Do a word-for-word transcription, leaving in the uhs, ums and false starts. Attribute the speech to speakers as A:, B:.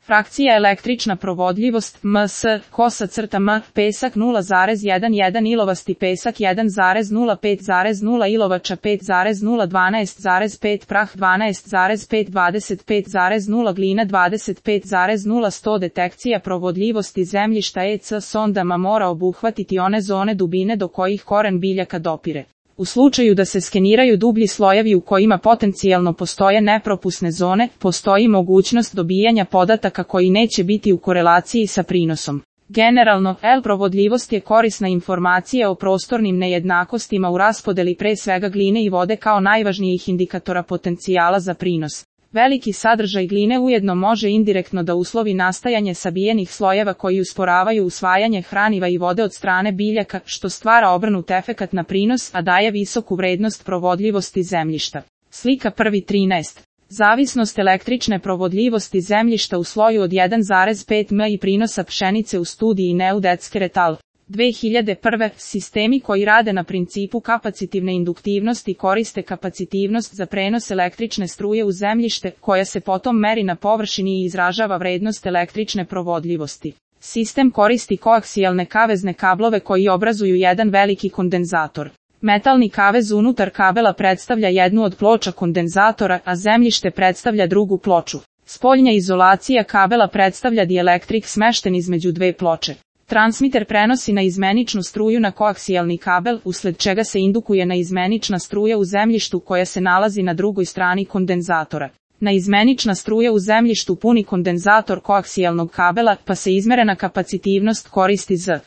A: Frakcija električna provodljivost, ms, kosa crta m, pesak nula zarez jedan, ilovasti pesak jedan zarez nula pet zarez nula, ilovača pet zarez nula, dvanaest zarez pet, prah dvanaest zarez pet, dvadeset pet zarez nula, glina dvadeset pet zarez nula, sto detekcija provodljivosti zemljišta E C sondama mora obuhvatiti one zone dubine do kojih koren biljaka dopire. U slučaju da se skeniraju dublji slojevi u kojima potencijalno postoje nepropusne zone, postoji mogućnost dobijanja podataka koji neće biti u korelaciji sa prinosom. Generalno, L provodljivost je korisna informacija o prostornim nejednakostima u raspodeli pre svega gline i vode kao najvažnijih indikatora potencijala za prinos. Veliki sadržaj gline ujedno može indirektno da uslovi nastajanje sabijenih slojeva koji usporavaju usvajanje hraniva i vode od strane biljaka, što stvara obrnut efekat na prinos, a daje visoku vrednost provodljivosti zemljišta. Slika prvi trinaest. Zavisnost električne provodljivosti zemljišta u sloju od jedan zarez pet m i prinosa pšenice u studiji Neudetske et al. dve hiljade prve. Sistemi koji rade na principu kapacitivne induktivnosti koriste kapacitivnost za prenos električne struje u zemljište, koja se potom meri na površini i izražava vrednost električne provodljivosti. Sistem koristi koaksijalne kavezne kablove koji obrazuju jedan veliki kondenzator. Metalni kavez unutar kabela predstavlja jednu od ploča kondenzatora, a zemljište predstavlja drugu ploču. Spoljna izolacija kabela predstavlja dielektrik smešten između dve ploče. Transmiter prenosi na izmeničnu struju na koaksijalni kabel, usled čega se indukuje na izmenična struja u zemljištu koja se nalazi na drugoj strani kondenzatora. Na izmenična struja u zemljištu puni kondenzator koaksijalnog kabela, pa se izmerena kapacitivnost koristi z